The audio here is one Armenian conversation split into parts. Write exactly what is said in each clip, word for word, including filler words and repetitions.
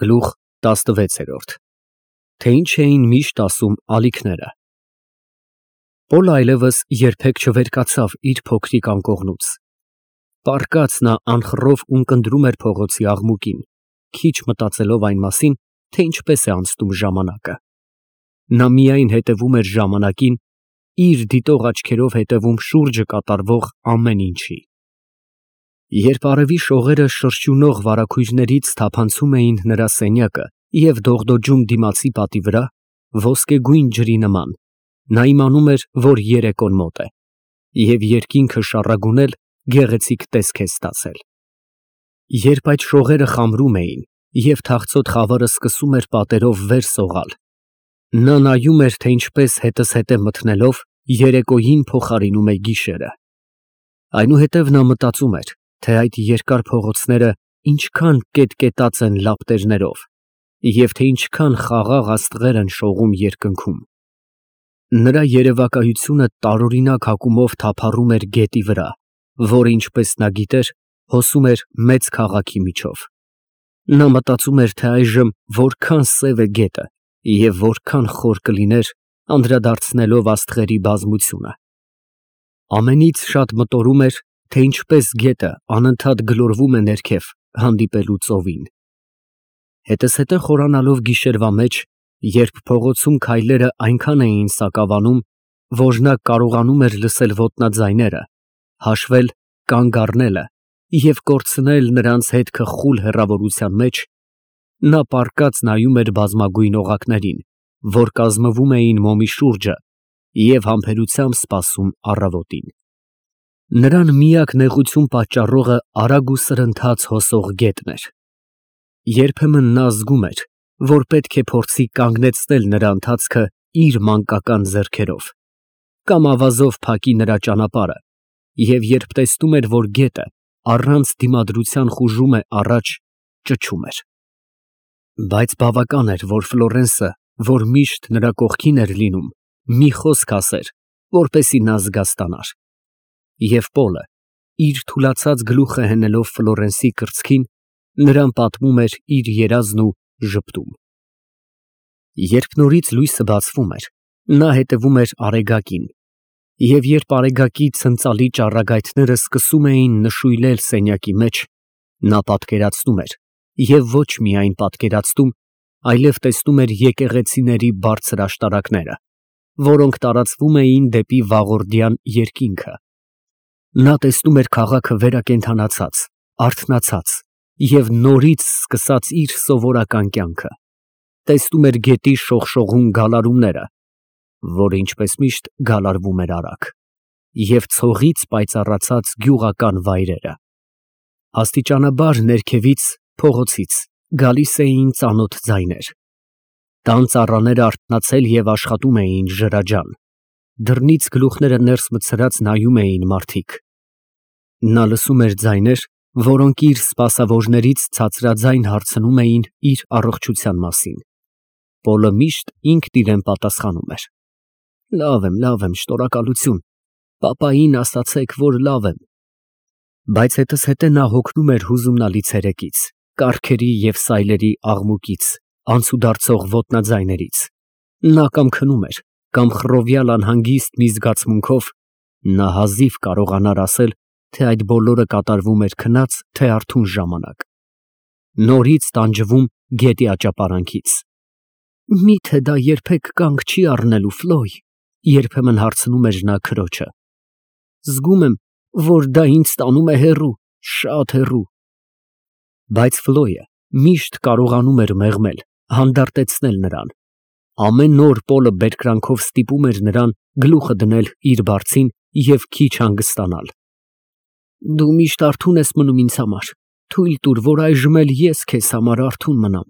Գլուխ տասնվեցերորդ Թե ինչ էին միշտ ասում ալիքները։ Պոլը այլևս երբեք չվերկացավ իր փոքրիկ անկողնուց։ Պառկած նա անխռով ունկնդրում էր փողոցի աղմուկին, քիչ մտածելով այն մասին, թե ինչպես է անցնում ժամանակը։ Նա միայն հետևում էր ժամանակին, իր դիտող աչքերով հետևում շուրջը կատարվող ամեն ինչի։ Երբ արևի շողերը շրջունող վարագույրներից թափանցում էին նրա սենյակը և դողդոջում դիմացի պատի վրա, ոսկեգույն ջրի նման, նա իմանում էր, որ երեկոն մոտ է, և երկինքը շառագունել գեղեցիկ տեսք է ստացել։ Երբ այդ շողերը խամրում էին, և թախծոտ խավարը սկսում էր պատերով վեր սողալ, նա նայում էր, թե ինչպես հետզհետե մթնելով, երեկոյին փոխարինում է գիշերը։ Այնուհետև նա մտածում էր, թե այդ երկար փողոցները ինչքան կետկետած են լապտերներով, և թե ինչքան խաղաղ աստղեր են շողում երկնքում։ Նրա երևակայությունը տարօրինակ հակումով թափառում էր գետի վրա, որը, ինչպես նա գիտեր, հոսում էր մեծ քաղաքի միջով։ Նա մտածում էր, թե այժմ որքան սև է գետը և որքան խոր կլիներ, անդրադարձնելով աստղերի բազմությունը։ Ամենից շատ մտորում էր, թե ինչպես գետը անընդհատ գլորվում է ներքև, հանդիպելու ծովին։ Հետզհետե խորանալով գիշերվա մեջ, երբ փողոցում քայլերը այնքան էին սակավանում, որ նա կարողանում էր լսել ոտնաձայները, հաշվել կանգ առնելը և կորցնել նրանց հետքը խուլ հեռավորության մեջ, նա պառկած նայում էր բազմագույն օղակներին, որ կազմվում էին մոմի շուրջը, և համբերությամբ սպասում առավոտին։ Նրան միակ նեղություն պատճառողը արագ ու սրընթաց հոսող գետն էր։ Երբեմն նա զգում էր, որ պետք է փորձի կանգնեցնել նրա ընթացքը իր մանկական ձեռքերով, կամ ավազով փակի նրա ճանապարհը, և երբ տեսնում էր, որ գետը առանց դիմադրության խուժում է առաջ, ճչում էր։ Բայց բավական էր, որ Ֆլորենսը, որ միշտ նրա կողքին էր լինում, մի խոսք ասեր, որպեսզի նա զգաստանար։ Եվ Պոլը, իր թուլացած գլուխը հենելով Ֆլորենսի կրծքին, նրան պատմում էր իր երազն ու ժպտում։ Երբ նորից լույսը բացվում էր, նա հետևում էր Արեգակին, և երբ Արեգակի ցնծալի ճառագայթները սկսում էին նշույլել սենյակի մեջ, նա պատկերացնում էր, և ոչ միայն պատկերացնում, այլև տեսնում էր եկեղեցիների բարձր աշտարակները, որոնք տարածվում էին դեպի վաղորդյան երկինքը։ Նա տեսնում էր քաղաքը վերակենդանացած, արթնացած և նորից սկսած իր սովորական կյանքը, տեսնում էր գետի շողշողուն գալարումները, որը, ինչպես միշտ, գալարվում էր արագ, և ցողից պայծառացած գյուղական վայրերը։ Աստիճանաբար ներքևից, փողոցից, գալիս էին ծանոթ ձայներ։ Տան ծառաները արթնացել և աշխատում էին ջրաջան, դռնից գլուխները ներս մտցրած նայում էին մարդիկ։ Նա լսում էր ձայներ, որոնք իր սպասավորներից ցածրաձայն հարցնում էին իր առողջության մասին։ Պոլը միշտ ինքն իրան պատասխանում էր. «Լավ եմ, լավ եմ, շնորհակալություն, պապային ասացեք, որ լավ եմ»։ Բայց հետզհետե նա հոգնում էր հուզումնալի ցերեկից, կառքերի և սայլերի աղմուկից, անցուդարձող ոտնաձայներից։ Նա կամ քնում էր, կամ խռովյալ անհանգիստ մի զգացմունքով, նա հազիվ կարողանար ասել, թե այդ բոլորը կատարվում էր քնած, թե արթուն ժամանակ, նորից տանջվում գետի աճապարանքից։ «Մի՞թե դա երբեք կանգ չի առնելու, Ֆլոյ», երբեմն հարցնում էր նա քրոջը։ «Զգում եմ, որ դա ինձ տանում է հեռու, շատ հեռու»։ Բայց Ֆլոյը միշտ կարողանում էր մեղմել, հանդարտեցնել նրան։ Ամեն օր Պոլը բերկրանքով ստիպում էր նրան գլուխը դնել իր բարձին և քիչ հանգստանալ։ «Դու միշտ արթուն ես մնում ինձ համար, թույլ տուր, որ այժմ էլ ես քեզ համար արթուն մնամ»։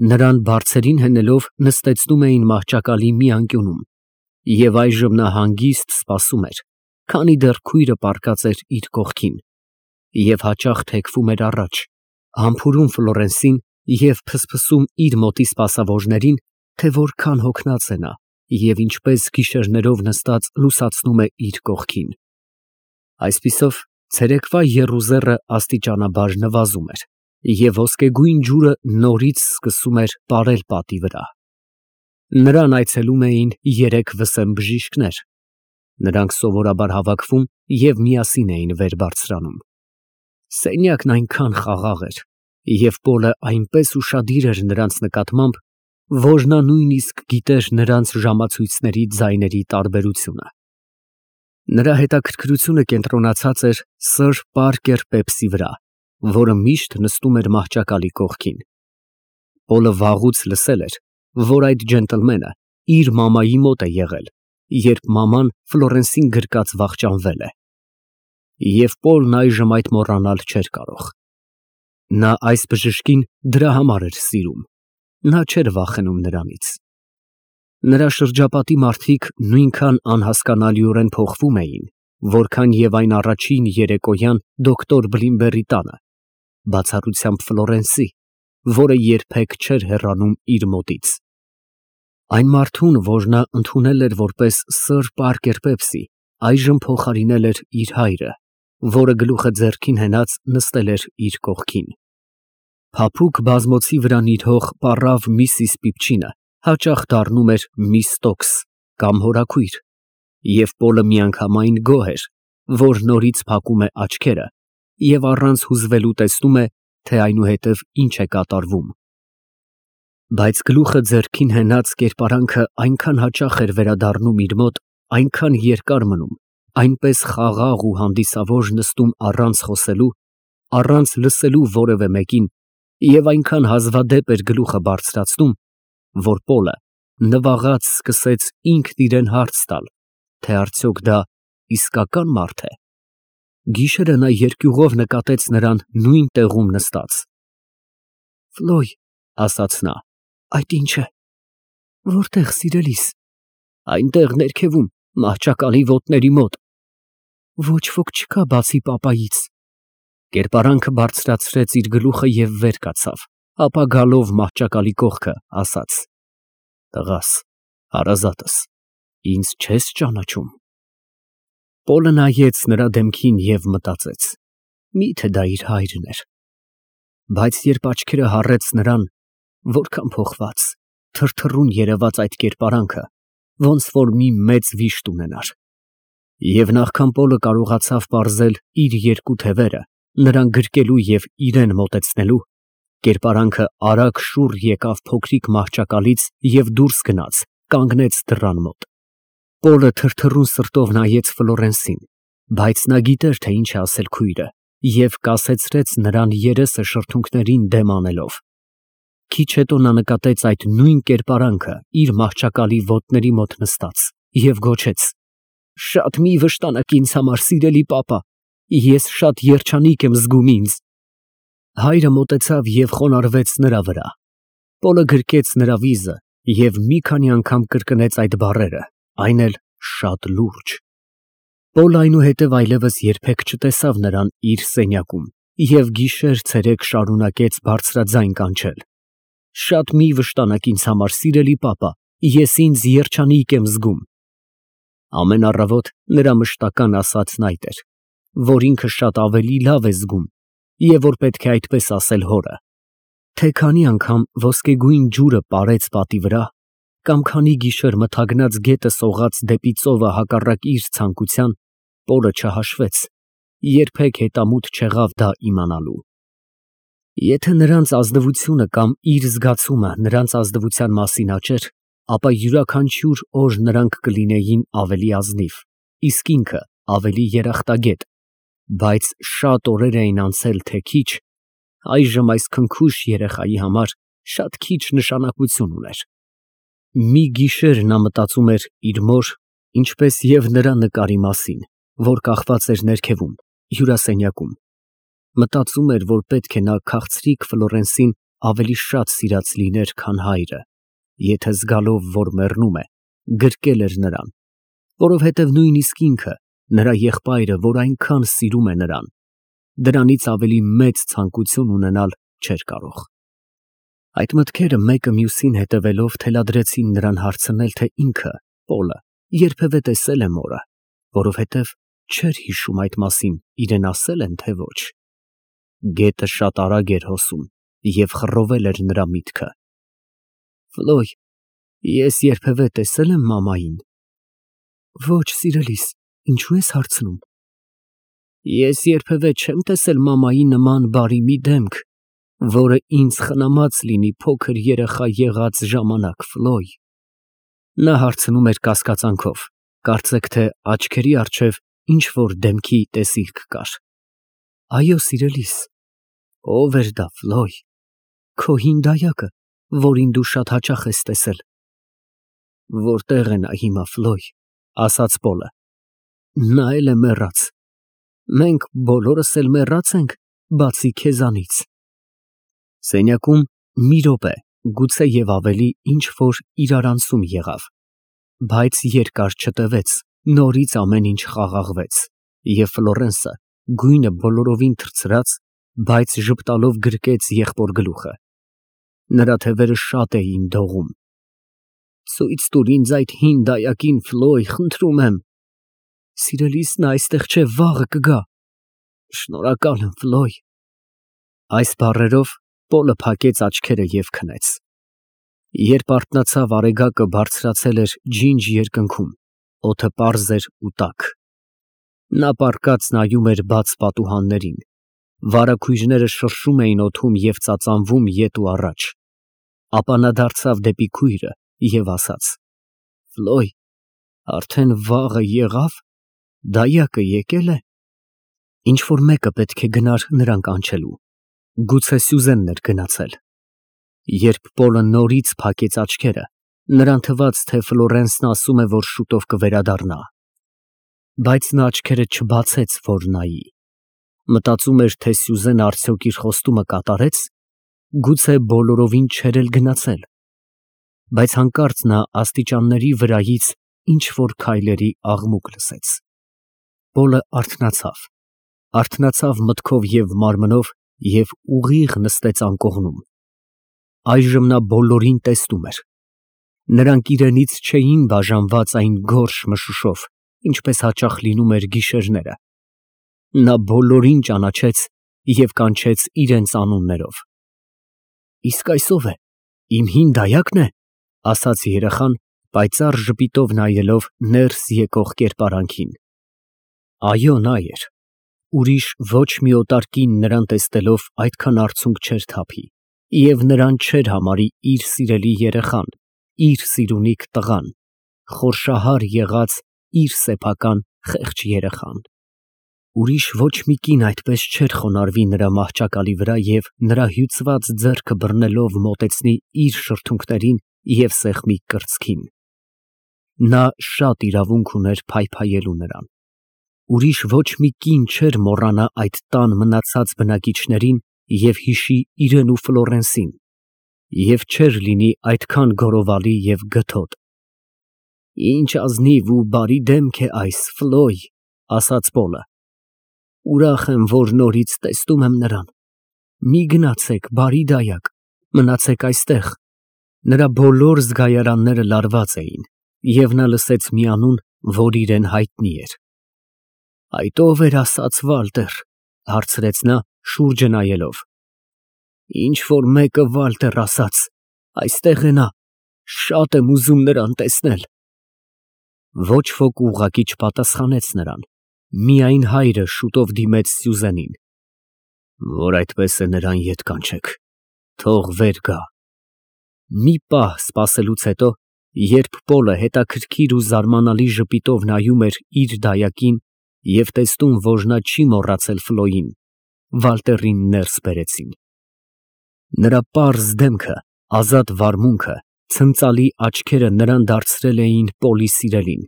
Նրան բարձերին հենելով նստեցնում էին մահճակալի մի անկյունում, և այժմ նա հանգիստ սպասում էր, քանի դեռ քույրը պառկած էր իր կողքին, և հաճախ թեքվում էր առաջ, համբուրում Ֆլորենսին և փսփսում իր մոտի սպասավորներին, թե որքան հոգնած է նա և ինչպես գիշերներով նստած լուսացնում է իր կողքին։ Այսպիսով, ցերեկվա եռուզեռը աստիճանաբար նվազում էր, Եվ ոսկեգույն ջուրը նորից սկսում էր պարել պատի վրա։ Նրան այցելում էին երեք վսեմ բժիշկներ։ Նրանք սովորաբար հավաքվում և միասին էին վեր բարձրանում։ Սենյակն այնքան խաղաղ էր, և Պոլը այնպես ուշադիր էր նրանց նկատմամբ, որ նա նույնիսկ գիտեր նրանց ժամացույցների ձայների տարբերությունը։ Նրա հետաքրքրությունը կենտրոնացած էր սըր Պարկեր Պեպսի վրա, որը միշտ նստում էր մահճակալի կողքին։ Պոլը վաղուց լսել էր, որ այդ ջենտլմենը իր մամայի մոտ է եղել, երբ մաման Ֆլորենսին գրկած վախճանվել է։ Եվ Պոլն այժմ այդ մոռանալ չէր կարող։ Նա այս բժշկին դրա համար էր սիրում, նա չէր վախենում նրանից։ Նրա շրջապատի մարդիկ նույնքան անհասկանալիորեն փոխվում էին, որքան և այն առաջին երեկոյան դոկտոր Բլինբերի տանը, բացառությամբ Ֆլորենսի, որը երբեք չէր հեռանում իր մոտից։ Այն մարդուն, որ նա ընդունել էր որպես սըր Պարկեր Պեպսի, այժմ փոխարինել էր իր հայրը, որը գլուխը ձեռքին հենած նստել էր իր կողքին։ Փափուկ բազմոցի վրա նիրհող պառավ Միսիս Պիպչինը հաճախ դառնում էր Միս Ստոքս կամ հորաքույր, և Պոլը միանգամայն գոհ էր, որ նորից փակում է աչքերը և առանց հուզվելու տեսնում է, թե այնուհետև ինչ է կատարվում։ Բայց գլուխը ձեռքին հենած կերպարանքը այնքան հաճախ էր վերադառնում իր մոտ, այնքան երկար մնում, այնպես խաղաղ ու հանդիսավոր նստում առանց խոսելու, առանց լսելու որևէ մեկին և այնքան հազվադեպ էր գլուխը բարձրացնում, որ Պոլը նվաղած սկսեց ինքն իրան հարց տալ, թե արդյոք դա իսկական մարդ է։ Գիշերը նա երկյուղով նկատեց նրան նույն տեղում նստած։ «Ֆլոյ», ասաց նա, «այդ ի՞նչ է»։ «Որտե՞ղ, սիրելիս»։ «Այնտեղ ներքևում, մահճակալի ոտների մոտ»։ «Ոչ ոք չկա բացի պապայից»։ Կերպարանքը բարձրացրեց իր գլուխը և վեր կացավ, ապա գալով մահճակալի կողքը, ասաց. «Տղաս, հարազատս, ինձ չե՞ս ճանաչում»։ Պոլը նայեց նրա դեմքին և մտածեց. միթե դա իր հայրն էր։ Բայց երբ աչքերը հառեց նրան, որքան փոխված, թրթռուն երևաց այդ կերպարանքը, ոնց որ մի մեծ վիշտ ունենար։ Եվ նախքան Պոլը կարողացավ պարզել իր երկու թևերը, նրան գրկելու և իրան մոտեցնելու, կերպարանքը արագ շուռ եկավ փոքրիկ մահճակալից և դուրս գնաց, կանգնեց դռան մոտ։ Պոլը թրթռուն սրտով նայեց Ֆլորենսին, բայց նա գիտեր, թե ինչ է ասել քույրը, և կասեցրեց նրան երեսը շրթունքներին դեմ անելով։ Քիչ հետո նա նկատեց այդ նույն կերպարանքը իր մահճակալի ոտների մոտ նստած և գոչեց. «Շատ մի վշտանաք ինձ համար, սիրելի պապա, ես շատ երջանիկ եմ զգում ինձ»։ Հայրը մոտեցավ և խոնարհվեց նրա վրա։ Պոլը գրկեց նրա վիզը և մի քանի անգամ կրկնեց այդ բառերը, այն էլ շատ լուրջ։ Պոլը այնուհետև այլևս երբեք չտեսավ նրան իր սենյակում և գիշեր֊ցերեկ շարունակեց բարձրաձայն կանչել. «Շատ մի վշտանաք ինձ համար, սիրելի պապա, ես ինձ երջանիկ եմ զգում»։ Ամեն առավոտ նրա մշտական ասածն այդ էր, որ ինքը շատ ավելի լավ է զգում և որ պետք է այդպես ասել հորը։ Թե քանի անգամ ոսկեգույն ջուրը պարեց պատի վրա, կամ քանի գիշեր մթագնած գետը սողաց դեպի ծովը հակառակ իր ցանկության, Պոլը չհաշվեց, երբեք հետամուտ չեղավ դա իմանալու։ Եթե նրանց ազնվությունը կամ իր զգացումը նրանց ազնվության մասին աճեր, ապա յուրաքանչյուր օր նրանք կլինեին ավելի ազնիվ, իսկ ինքը ավելի երախտագետ, բայց շատ օրեր էին անցել, թե քիչ, այժմ այս քնքուշ երեխայի համար շատ քիչ նշանակություն ուներ։ Մի գիշեր նա մտածում էր իր մոր, ինչպես և նրա նկարի մասին, որ կախված էր ներքևում, հյուրասենյակում։ Մտածում էր, որ պետք է նա քաղցրիկ Ֆլորենսին ավելի շատ սիրած լիներ, քան հայրը, եթե զգալով, որ մեռնում է, գրկել էր նրան, որովհետև նույնիսկ ինքը, նրա եղբայրը, որ այնքան սիրում է նրան, դրանից ավելի մեծ ցանկություն ունենալ չէր կարող։ Այդ մտքերը մեկը մյուսին հետևելով թելադրեցին նրան հարցնել, թե ինքը, Պոլը, երբևէ տեսե՞լ է մորը, որովհետև չէր հիշում այդ մասին իրան ասել են, թե ոչ։ Գետը շատ արագ էր հոսում և խռովել էր նրա միտքը։ Ֆլոյ, ես երբևէ տեսե՞լ եմ մամային։ Ոչ, սիրելիս, ինչու ես հարցնում։ Ես երբևէ չեմ տեսել մամայի նման բարի մի դեմք, որը ինձ խնամած լինի փոքր երեխա եղած ժամանակ, Ֆլոյ։ Նա հարցնում էր կասկածանքով, կարծեք թե աչքերի առջև ինչ֊որ դեմքի տեսիլք կար։ Այո, սիրելիս։ Ո՞վ էր դա, Ֆլոյ։ Քո հին դայակը, որին դու շատ հաճախ ես տեսել։ Որտե՞ղ է նա հիմա, Ֆլոյ, ասաց Պոլը։ Նա էլ է մեռած։ Մենք բոլորս էլ մեռած ենք, բացի քեզանից։ Սենյակում մի րոպե, գուցե և ավելի, ինչ֊որ իրարանցում եղավ, բայց երկար չտևեց, նորից ամեն ինչ խաղաղվեց, և Ֆլորենսը, գույնը բոլորովին թրծրած, բայց ժպտալով գրկեց եղբոր գլուխը։ Նրա թևերը շատ էին դողում։ Ցույց տուր ինձ այդ հին դայակին, Ֆլոյ, խնդրում եմ։ Սիրելիս, նա այստեղ չէ, վաղը կգա։ Շնորհակալ եմ, Ֆլոյ։ Այս բառերով Պոլը փակեց աչքերը և քնեց։ Երբ արթնացավ, արեգակը բարձրացել էր ջինջ երկնքում, օդը պարզ էր ու տաք։ Նա պառկած նայում էր բաց պատուհաններին, վարագույրները շրշում էին օդում և ծածանվում ետ ու առաջ։ Ապա նա դարձավ դեպի քույրը և ասաց. Ֆլոյ, արդեն վաղը եղավ, դայակը եկել է։ Ինչ֊որ մեկը պետք է գնար նրան կանչելու, գուցե Սյուզենն էր գնացել։ Երբ Պոլը նորից փակեց աչքերը, նրան թվաց, թե Ֆլորենսն ասում է, որ շուտով կվերադառնա։ Բայց նա աչքերը չբացեց, որ նայի։ Մտածում էր, թե Սյուզենը արդյոք իր խոստումը կատարեց, գուցե բոլորովին չէր էլ գնացել։ Բայց հանկարծ նա աստիճանների վրայից ինչ֊որ քայլերի աղմուկ լսեց։ Պոլը արթնացավ, արթնացավ մտքով և մարմնով և ուղիղ նստեց անկողնում։ Այժմ նա բոլորին տեսնում էր։ Նրանք իրենից չէին բաժանված այն գորշ մշուշով, ինչպես հաճախ լինում էր գիշերները։ Նա բոլորին ճանաչեց և կանչեց իրենց անուններով։ Իսկ այս ո՞վ է, իմ հին դայա՞կն է, ասաց երեխան, պայծառ ժպիտով նայելով ներս եկող կերպարանքին։ Այո, նա էր։ Ուրիշ ոչ մի օտար կին նրան տեսնելով այդքան արցունք չէր թափի և նրան չէր համարի իր սիրելի երեխան, իր սիրունիք տղան, խորշահար եղած իր սեփական խեղճ երեխան։ Ուրիշ ոչ մի կին այդպես չէր խոնարհվի նրա մահճակալի վրա և նրա հյուծված ձեռքը բռնելով մոտեցնի իր շրթունքներին և սեղմի կրծքին։ Նա շատ իրավունք ուներ փայփայելու նրան։ Ուրիշ ոչ մի կին չէր մոռանա այդ տան մնացած բնակիչներին և հիշի իրեն ու Ֆլորենսին, և չէր լինի այդքան գոռովալի և գթոտ։ Ինչ ազնիվ ու բարի դեմք է այս, Ֆլոյ, ասաց Պոլը։ Ուրախ եմ, որ նորից տեսնում եմ նրան։ Մի գնացեք, բարի դայակ, մնացեք այստեղ։ Նրա բոլոր զգայարանները լարված էին, և նա լսեց մի անուն, որ իրան հայտնի էր։ Այդ ո՞վ էր ասաց, Վալտեր, հարցրեց նա, շուրջը նայելով։ Ինչ֊որ մեկը Վալտեր ասաց, այստեղ է նա, շատ եմ ուզում նրան տեսնել։ Ոչ ոք ուղղակի չպատասխանեց նրան, միայն հայրը շուտով դիմեց Սյուզենին։ Որ այդպես է, նրան ետ կանչեք, թող վեր գա։ Մի պահ սպասելուց հետո, երբ Պոլը հետաքրքիր ու զարմանալի ժպիտով նայում էր իր դայակին և տեսնում, որ նա չի մոռացել Ֆլոյին, Վալտերին ներս բերեցին։ Նրա պարզ դեմքը, ազատ վարմունքը, ցնծալի աչքերը նրան դարձրել էին Պոլի սիրելին,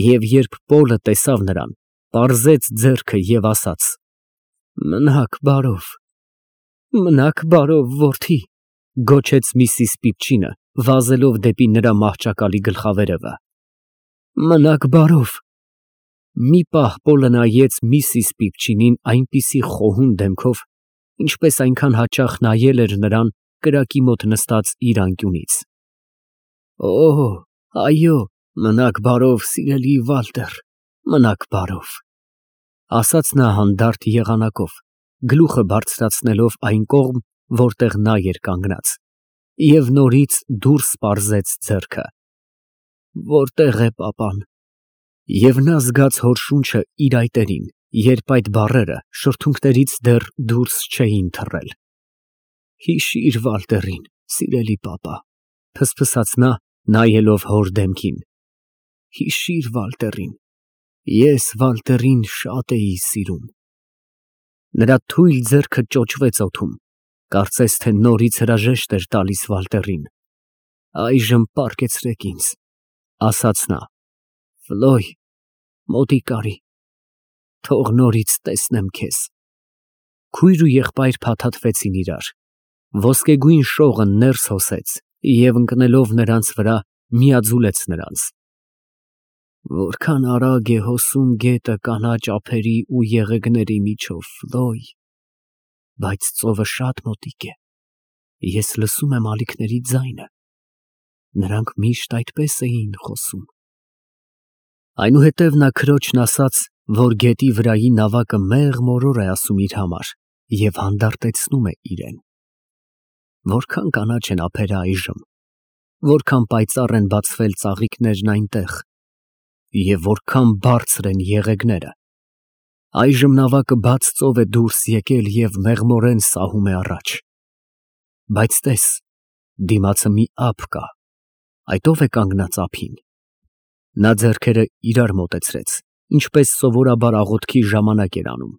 և երբ Պոլը տեսավ նրան, պարզեց ձեռքը և ասաց. Մնաք բարով, մնաք բարով, որդի, գոչեց միսիս Պիպչինը, վազելով դեպի նրա մահճակալի գլխավերևը։ Մնաք բարով։ Մի պահ Պոլը նայեց միսիս Պիպչինին այնպիսի խոհուն դեմքով, ինչպես այնքան հաճախ նայել էր նրան կրակի մոտ նստած իր անկյունից։ Օ, այո, մնաք բարով, սիրելի Վալտեր, մնաք բարով, ասաց նա հանդարտ եղանակով, գլուխը բարձրացնելով այն կողմ, որտեղ նա էր կանգնած, և նորից դուրս պարզեց ձեռքը։ Որտե՞ղ է պապան։ Եվ նա զգաց հոր շունչը իր այտերին, երբ այդ բառերը շրթունքներից դեռ դուրս չէին թռել։ Հիշիր Վալտերին, սիրելի պապա, փսփսաց նա, նայելով հոր դեմքին։ Հիշիր Վալտերին, ես Վալտերին շատ էի սիրում։ Նրա թույլ ձեռքը ճոճվեց օդում, կարծես թե նորից հրաժեշտ էր տալիս Վալտերին։ Այժմ պառկեցրեք ինձ, ասաց նա, Ֆլոյ, մոտիկ արի, թող նորից տեսնեմ քեզ։ Քույր ու եղբայր փաթաթվեցին իրար, ոսկեգույն շողը ներս հոսեց և ընկնելով նրանց վրա, միաձուլեց նրանց։ Որքան արագ է հոսում գետը կանաչ ափերի ու եղեգների միջով, Ֆլոյ, բայց ծովը շատ մոտիկ է, ես լսում եմ ալիքների ձայնը, նրանք միշտ այդպես էին խոսում։ Այնուհետև նա քրոջն ասաց, որ գետի վրայի նավակը մեղ֊մորոր է ասում իր համար և հանդարտեցնում է իրան։ Որքան կանաչ են ափերը այժմ, որքան պայծառ են բացվել ծաղիկներն այնտեղ, և որքան բարձր են եղեգները։ Այժմ նավակը բաց ծով է դուրս եկել և մեղմորեն սահում է առաջ։ Բայց տես, դիմացը մի ափ կա, այդ ո՞վ է կանգնած ափին։ Նա ձեռքերը իրար մոտեցրեց, ինչպես սովորաբար աղոթքի ժամանակ էր անում,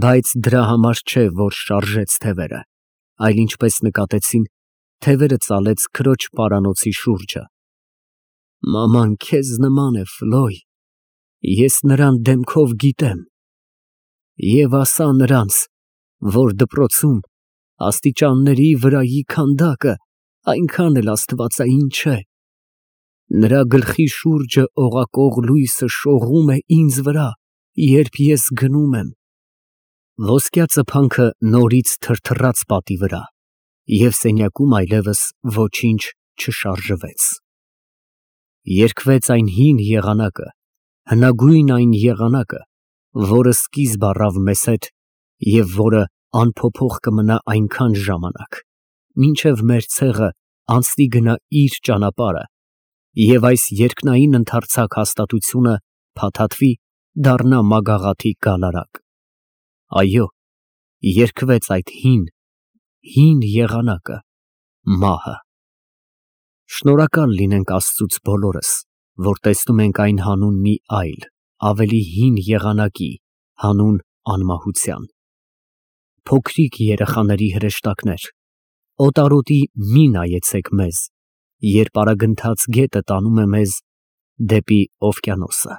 բայց դրա համար չէ, որ շարժեց թևերը, այլ ինչպես նկատեցին, թևերը ծալեց քրոջ պարանոցի շուրջը։ Մաման քեզ նման է, Ֆլոյ, ես նրան դեմքով գիտեմ։ Եվ ասա նրանց, որ դպրոցում աստիճանների վրայի քանդակը այնքան էլ աստվածային չէ։ Նրա գլխի շուրջը օղակող լույսը շողում է ինձ վրա, երբ ես գնում եմ։ Ոսկյա ծփանքը նորից թրթռաց պատի վրա, և սենյակում այլևս ոչինչ չշարժվեց։ Երգվեց այն հին եղանակը, հնագույն այն եղանակը, որը սկիզբ առավ մեզ հետ և որը անփոփոխ կմնա այնքան ժամանակ, մինչև մեր ցեղը անցնի գնա իր ճանապարհը, և այս երկնային ընդարձակ հաստատությունը փաթաթվի, դառնա մագաղաթի գալարակ։ Այո, երգվեց այդ հին, հին եղանակը, մահը։ Շնորհակալ լինենք Աստծուց բոլորս, որ տեսնում ենք այն հանուն մի այլ, ավելի հին եղանակի, հանուն անմահության։ Փոքրիկ երեխաների հրեշտակներ, օտարոտի մի նայեցեք մեզ, երբ արագընթաց գետը տանում է մեզ դեպի օվկիանոսը։